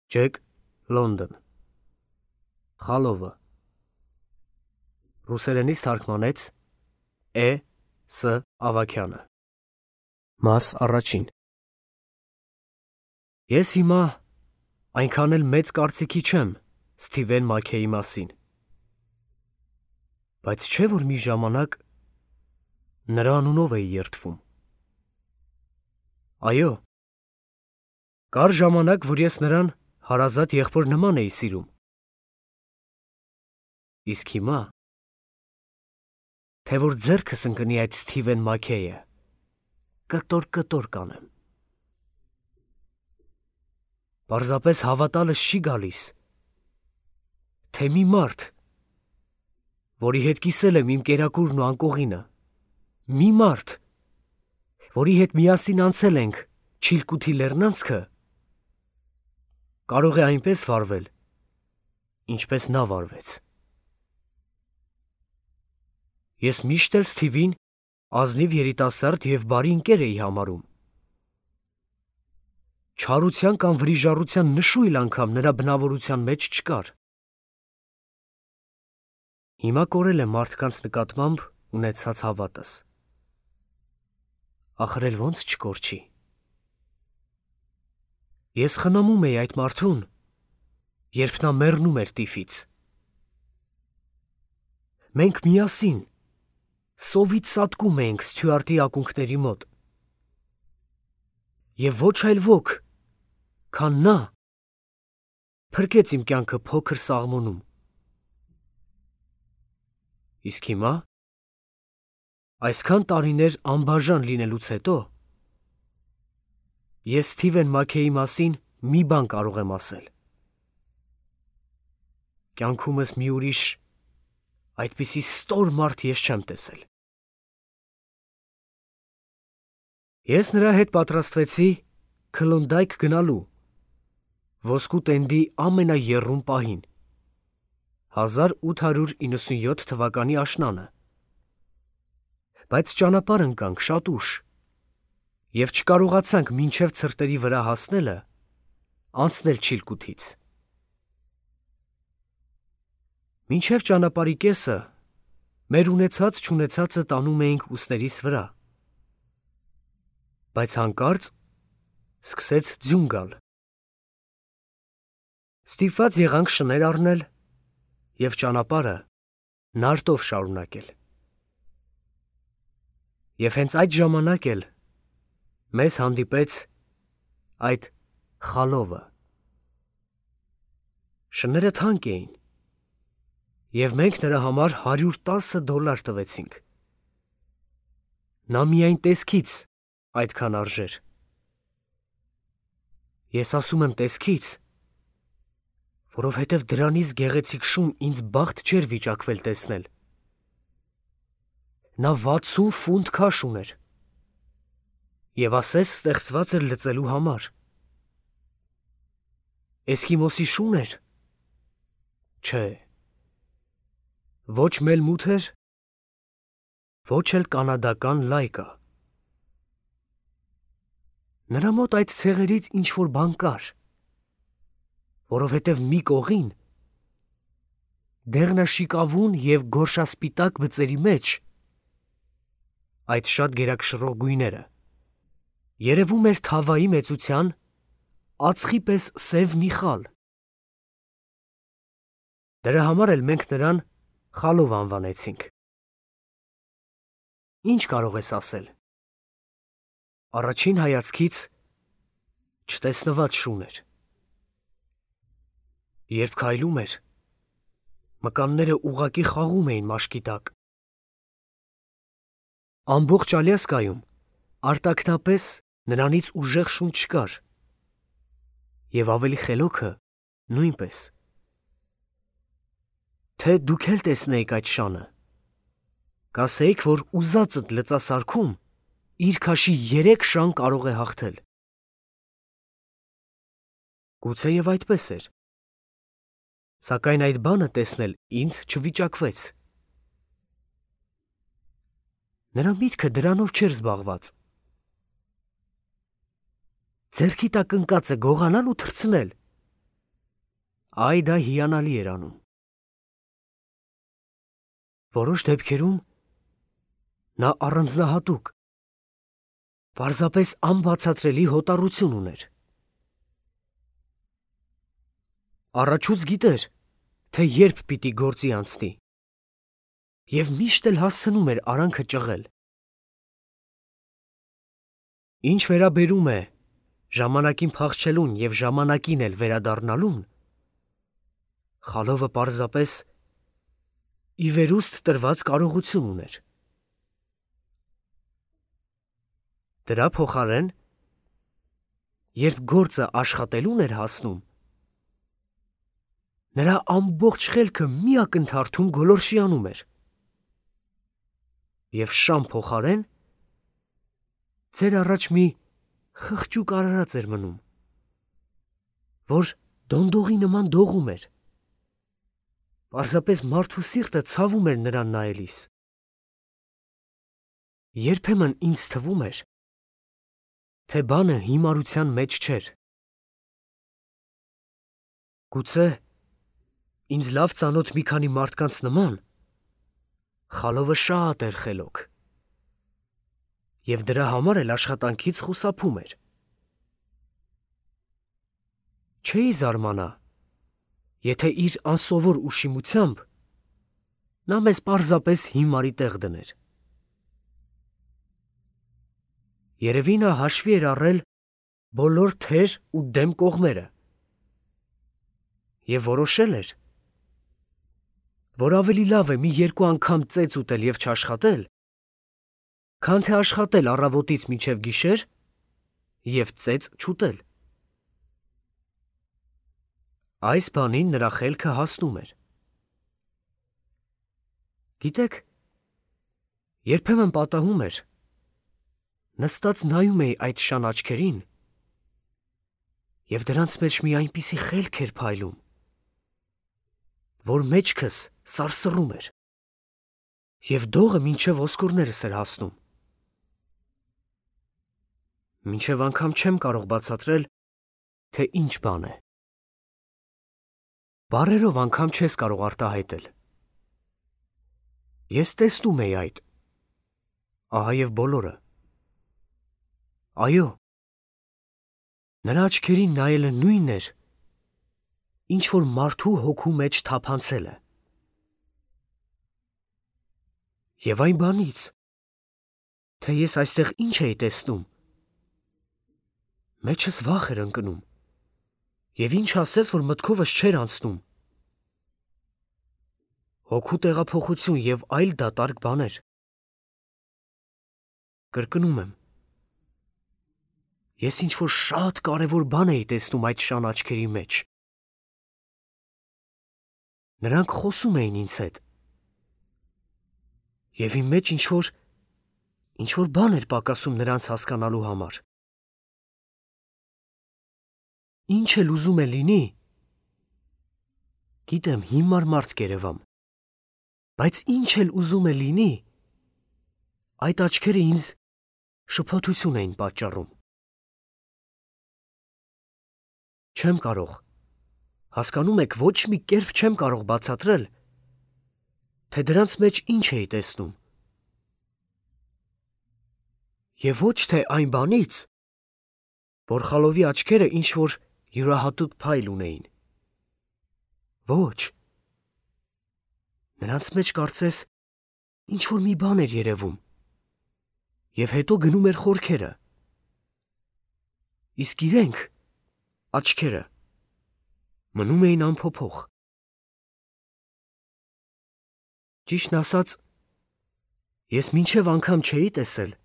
Ջեք, Լոնդոն։ Խալովը։ Ռուսերենից թարգմանեց Է.Ս. Ավագյանը։ Մաս առաջին։ Ես հիմա այնքան էլ մեծ կարծիքի չեմ Սթիվեն Մաքեյի մասին, բայց չէ՞ որ մի ժամանակ նրա անունով էի երդվում։ Այո, կար ժամանակ, որ ես նրան հարազատ եղբոր նման էի սիրում։ Իսկ հիմա, թե որ ձեռքս ընկնի այդ Սթիվեն Մաքեյը, կտոր կանեմ։ Պարզապես հավատալս չի գալիս, թե մի մարդ, որի հետ կիսել եմ իմ կերակուրն ու անկողինը, մի մարդ, որի հետ միասին անցել ենք Չիլկութի լեռնանցքը, կարող է այնպես վարվել, ինչպես նա վարվեց։ Ես միշտ էլ Սթիվին ազնիվ երիտասարդ և բարի ընկեր էի համարում։ Չարության կամ վրիժառության նշույլ անգամ նրա բնավորության մեջ չկար։ Հիմա կորել է մարդկանց նկատմամբ ունեցած հավատս։ Ախր էլ ոնց չկորչի։ Ես խնամում էի այդ մարդուն, երբ նա մեռնում էր տիֆից։ Մենք միասին սովից սատկում էինք Սթյուարտի ակունքների մոտ։ Եվ ոչ այլ ոք, քան նա, փրկեց իմ կյանքը փոքր Սաղմոնում։ Իսկ հիմա, այսքան տարիներ անբաժան լինելուց հետո, ես Սթիվեն Մաքեյի մասին մի բան կարող եմ ասել. կյանքումս մի ուրիշ այդպիսի ստոր մարդ ես չեմ տեսել։ Ես նրա հետ պատրաստվեցի Քլոնդայք գնալու, ոսկու տենդի ամենաեռուն պահին, 1897 թվականի աշնանը, բայց ճանապարհ ընկանք շատ ուշ և չկարողացանք մինչև ցրտերի վրա հասնելը անցնել Չիլկութից։ Մինչև ճանապարհի կեսը մեր ունեցած-չունեցածը տանում էինք ուսներիս վրա, բայց հանկարծ սկսեց ձյուն գալ։ Ստիպված եղանք շներ առնել և ճանապարհը նարտով շարունակել։ Եվ հենց այդ ժամանակ էլ մեզ հանդիպեց այդ Խալովը։ Շները թանկ էին, և մենք նրա համար $110 տվեցինք։ Նա միայն տեսքից այդքան արժեր։ Ես ասում եմ տեսքից, որովհետև դրանից գեղեցիկ շուն ինձ բախտ չէր վիճակվել տեսնել։ Նա 60 ֆունտ քաշ ուներ և ասես ստեղծված էր լծելու համար։ Էսկիմոսի շուն էր։ Չէ, ոչ մելմութ էր, ոչ էլ կանադական լայկա։ Նրա մոտ այդ ցեղերից ինչ-որ բան կար, որովհետև մի կողին, դեղնաշիկավուն և գորշասպիտակ բծերի մեջ, այդ շատ գերակշռող գույները, երևում էր թավայի մեծության ածխի պես սև մի խալ։ Դրա համար էլ մենք նրան Խալով անվանեցինք։ Ինչ կարող ես ասել։ Առաջին հայացքից չտեսնված շուն էր։ Երբ քայլում էր, մկանները ուղղակի խաղում էին մաշկի տակ։ Ամբողջ Ալյասկայում արտաքնապես նրանից ուժեղ շուն չկար, և ավելի խելոքը նույնպես։ Թե դուք էլ տեսնեիք այդ շանը, կասեիք, որ ուզածդ լծասարքում իր քաշի 3 շան կարող է հաղթել։ Գուցեև այդպես էր, սակայն այդ բանը տեսնել ինձ չվիճակվեց։ Նրա միտքը դրանով չէր զբաղված։ Ձեռքի տակ ընկածը գողանալ ու թռցնել, Այ դա հիանալի էր անում։ Որոշ դեպքերում նա առանձնահատուկ, պարզապես անբացատրելի հոտառություն ուներ։ Առաջուց գիտեր, թե երբ պիտի գործի անցնի, և միշտ էլ հասցնում էր արանքը ճղել։ Ինչ վերաբերում է ժամանակին փախչելուն և ժամանակին էլ վերադառնալուն, Խալովը պարզապես ի վերուստ տրված կարողություն ուներ։ Դրա փոխարեն, երբ գործը աշխատելուն էր հասնում, նրա ամբողջ խելքը մի ակնթարթում գոլորշիանում էր, և շան փոխարեն ձեր առաջ մի խղճուկ արարած էր մնում, որ դոնդողի նման դողում էր, պարզապես մարդու սիրտը ցավում էր նրան նայելիս։ Երբեմն ինձ թվում էր, թե բանը հիմարության մեջ չէր։ Գուցե ինձ լավ ծանոթ մի քանի մարդկանց նման Խալովը շատ էր խելոք, և դրա համար էլ աշխատանքից խուսափում էր։ Չէի զարմանա, եթե իր անսովոր ուշիմությամբ նա մեզ պարզապես հիմարի տեղ դներ։ Երևի նա հաշվի էր առել բոլոր թեր ու դեմ կողմերը և որոշել էր, որ ավելի լավ է մի երկու անգամ ծեծ ուտել և չաշխատել, քան թե աշխատել առավոտից մինչև գիշեր և ծեծ չուտել։ Այս բանին նրա խելքը հասնում էր։ Գիտեք, երբեմն պատահում էր, նստած նայում էի այդ շան աչքերին, և դրանց մեջ մի այնպիսի խելք էր փայլում, որ մեջքս սարսռում էր, և դողը մինչև ոսկորներս էր հասնում։ Մինչև անգամ չեմ կարող բացատրել, թե ինչ բան է։ Բառերով անգամ չես կարող արտահայտել։ Ես տեսնում էի այդ, ահա և բոլորը։ Այո, նրա աչքերին նայելը նույնն էր, ինչ որ մարդու հոգու մեջ թափանցելը։ Եվ այն բանից, թե ես այստեղ ինչ էի տեսնում, մեջս վախ էր ընկնում, և ինչ ասես, որ մտքովս չէր անցնում։ Հոգու տեղափոխություն և այլ դատարկ բաներ։ Կրկնում եմ, ես ինչ-որ շատ կարևոր բան էի տեսնում այդ շան աչքերի մեջ։ Նրանք խոսում էին ինձ հետ, և իմ մեջ ինչ-որ բան էր պակասում նրանց հասկանալու համար։ Ինչ էլ ուզում է լինի, գիտեմ հիմար մարդ կերևամ, բայց ինչ էլ ուզում է լինի, այդ աչքերը ինձ շփոթություն էին պատճառում։ Չեմ կարող, հասկանում եք, ոչ մի կերպ չեմ կարող բացատրել, թե դրանց մեջ ինչ էի տեսնում։ Եվ ոչ թե այն բանից, որ Խալովի աչքերը ինչ-որ յուրահատուկ փայլ ունեին։ Ոչ, նրանց մեջ կարծես ինչ-որ մի բան էր երևում, և հետո գնում էր խորքերը, իսկ իրենք, աչքերը, մնում էին անփոփոխ։ Ճիշտն ասած, ես մինչև անգամ չէի տեսել,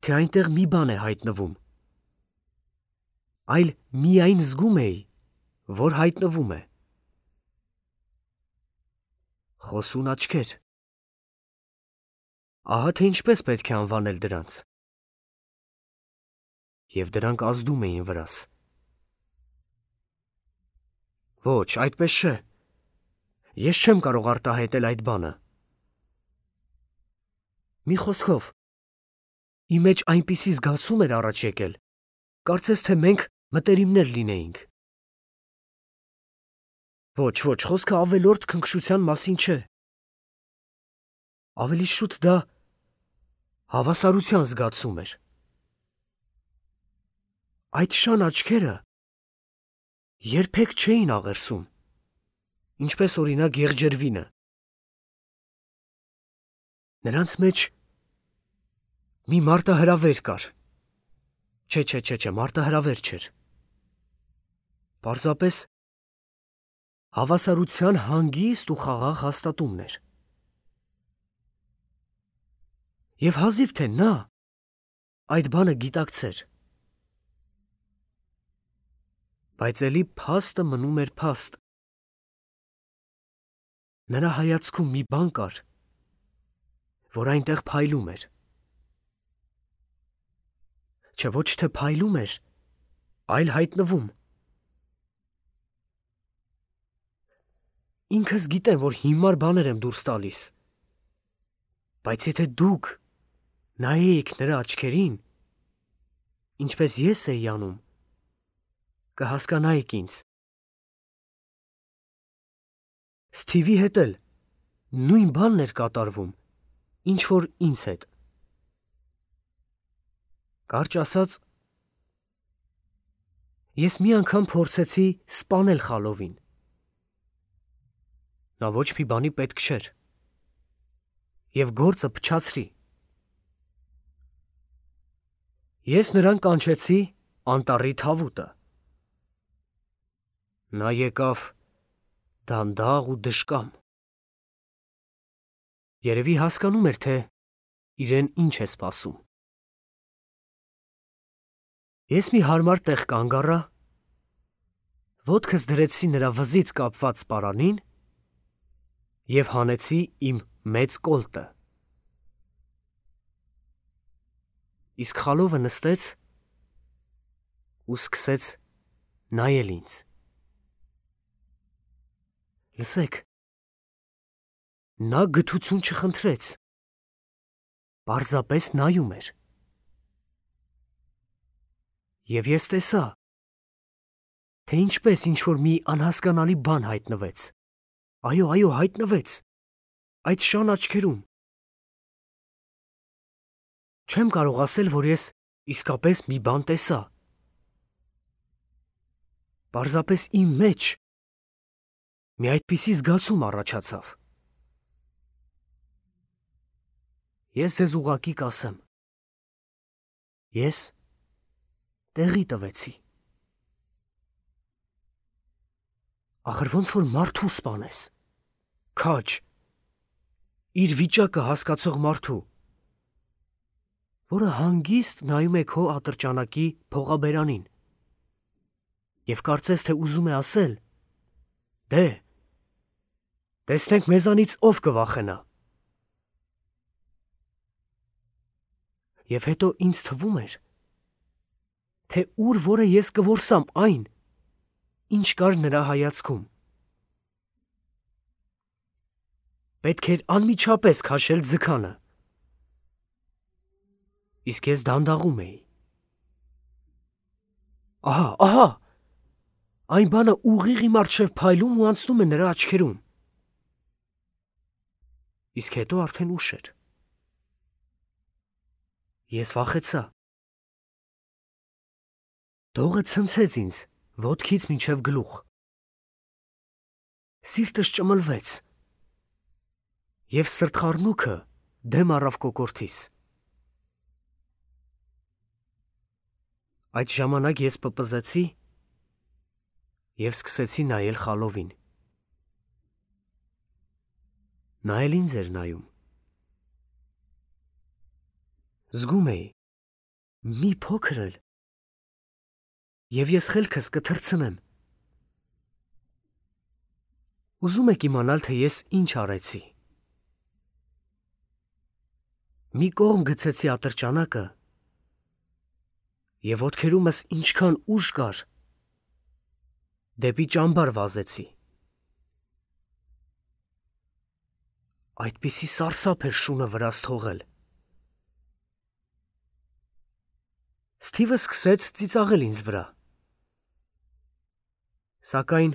թե այնտեղ մի բան է հայտնվում, այլ միայն զգում էի, որ հայտնվում է։ Խոսուն աչքեր։ Ահա թե ինչպես պետք է անվանել դրանց։ Եվ դրանք ազդում էին վրաս։ Ոչ, այդպես չէ։ Ես չեմ կարող արտահայտել այդ բանը։ Մի խոսքով, իմ մեջ այնպիսի զգացում էր առաջ եկել, կարծես թե մենք մտերիմներ լինեինք։ Ոչ, ոչ, խոսքը ավելորդ քնքշության մասին չէ։ Ավելի շուտ դա հավասարության զգացում էր։ Այդ շան աչքերը երբեք չէին աղերսում, ինչպես օրինակ եղջերվինը։ Նրանց մեջ մի մարտահրավեր կար։ Չէ, մարտահրավեր չէր։ Պարզապես հավասարության հանգիստ ու խաղաղ հաստատումն էր։ Եվ հազիվ թե նա այդ բանը գիտակցեր։ Բայց էլի փաստը մնում էր փաստ։ Նրա հայացքում մի բան կար, որ այնտեղ փայլում էր։ Չէ, ոչ թե փայլում էր, այլ հայտնվում։ Ինքս գիտեմ, որ հիմար բաներ եմ դուրս տալիս, բայց եթե դուք նայեիք նրա աչքերին, ինչպես ես էի անում, կհասկանայիք ինձ։ Սթիվի հետ էլ նույն բանն էր կատարվում, ինչ որ ինձ հետ։ Կարճ ասած, ես մի անգամ փորձեցի սպանել խալովին։ Նա ոչ մի բանի պետք չէր։ Եվ գործը փչացրի։ Ես նրան կանչեցի անտառի թավուտը։ Նա եկավ դանդաղ ու դժկամ։ Երևի հասկանում էր, թե իրեն ինչ է սպասում։ Ես մի հարմար տեղ կանգ առա, ոտքս դրեցի նրա վզից կապված պարանին և հանեցի իմ մեծ կոլտը։ Իսկ խալովը նստեց ու սկսեց նայել ինձ։ Լսեք, նա գթություն չխնդրեց, պարզապես նայում էր։ Եվ ես տեսա, թե ինչպես ինչ-որ մի անհասկանալի բան հայտնվեց։ Այո, հայտնվեց, այդ շան աչքերում։ Չեմ կարող ասել, որ ես իսկապես մի բան տեսա։ Պարզապես իմ մեջ մի այդպիսի զգացում առաջացավ։ Ես ձեզ ուղղակի կասեմ։ Ես տեղի տվեցի։ Ախր ոնց որ մարդու սպանես, քաջ, իր վիճակը հասկացող մարդու, որը հանգիստ նայում է քո ատրճանակի փողաբերանին և կարծես թե ուզում է ասել. «Դե, տեսնենք մեզանից ով կվախենա»։ Եվ հետո ինձ թվում էր, թե ուր որը ես կորսամ այն, ինչ կար նրա հայացքում։ Պետք էր անմիջապես քաշել ձգանը։ Իսկ ես դանդաղում էի։ Ահա, այն բանը ուղիղ իմ առջև փայլում ու անցնում է նրա աչքերում։ Իսկ հետո արդեն ուշ էր։ Ես վախեցա։ Դողը ցնցեց ինձ ոտքից մինչև գլուխ։ Սիրտս ճմլվեց։ Եվ սրտխառնուքը դեմ առավ կոկորդիս։ Այդ ժամանակ ես պպզեցի և սկսեցի նայել խալովին։ Նա էլ ինձ էր նայում։ Զգում էի, մի փոքր էլ, և ես խելքս կթռցնեմ։ Ուզում եք իմանալ, թե ես ինչ արեցի։ Մի կողմ գցեցի ատրճանակը և ոտքերումս ինչքան ուժ կար, դեպի ճամբար վազեցի։ Այդպիսի սարսափ էր շունը վրաս թողել։ Սթիվը սկսեց ծիծաղել ինձ վրա։ Սակայն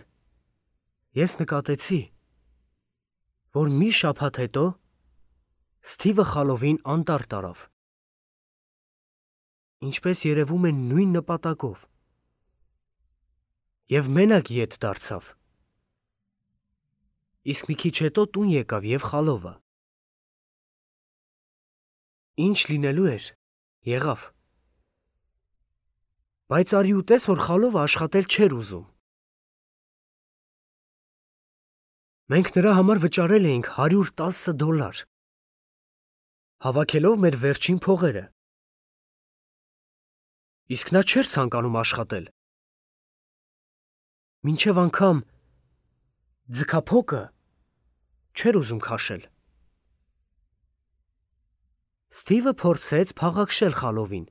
Ես նկատեցի, որ մի շաբաթ հետո Սթիվը խալովին անտառ տարավ, ինչպես երևում է նույն նպատակով, և մենակ ետ դարձավ, իսկ մի քիչ հետո տուն եկավ և խալովը։ Ինչ լինելու էր, եղավ, բայց արի ուտես, որ խալովը աշխատել չէր ուզում։ Մենք նրա համար վճարել էինք $110, հավաքելով մեր վերջին փողերը, իսկ նա չէր ցանկանում աշխատել, մինչև անգամ ձգափոկը չէր ուզում քաշել։ Սթիվը փորձեց փաղաքշել խալովին,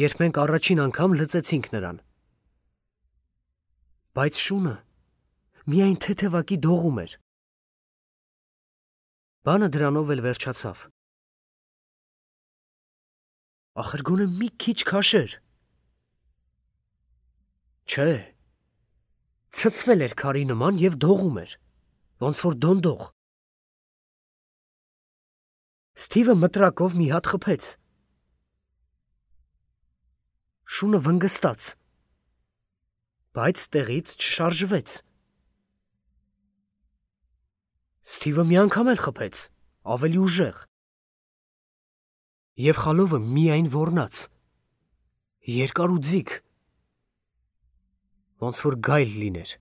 երբ մենք առաջին անգամ լծեցինք նրան, բայց շունը միայն թեթևակի դողում էր։ Բանը դրանով էլ վերջացավ։ Ախր գոնե մի քիչ քաշեր։ Չէ, ցցվել էր քարի նման և դողում էր, ոնց որ դոնդող։ Սթիվը մտրակով մի հատ խփեց։ Շունը վնգստաց, բայց տեղից չշարժվեց։ Սթիվը մի անգամ էլ խփեց, ավելի ուժեղ, և խալովը միայն ոռնաց, երկար ու ձիգ, ոնց որ գայլ լիներ։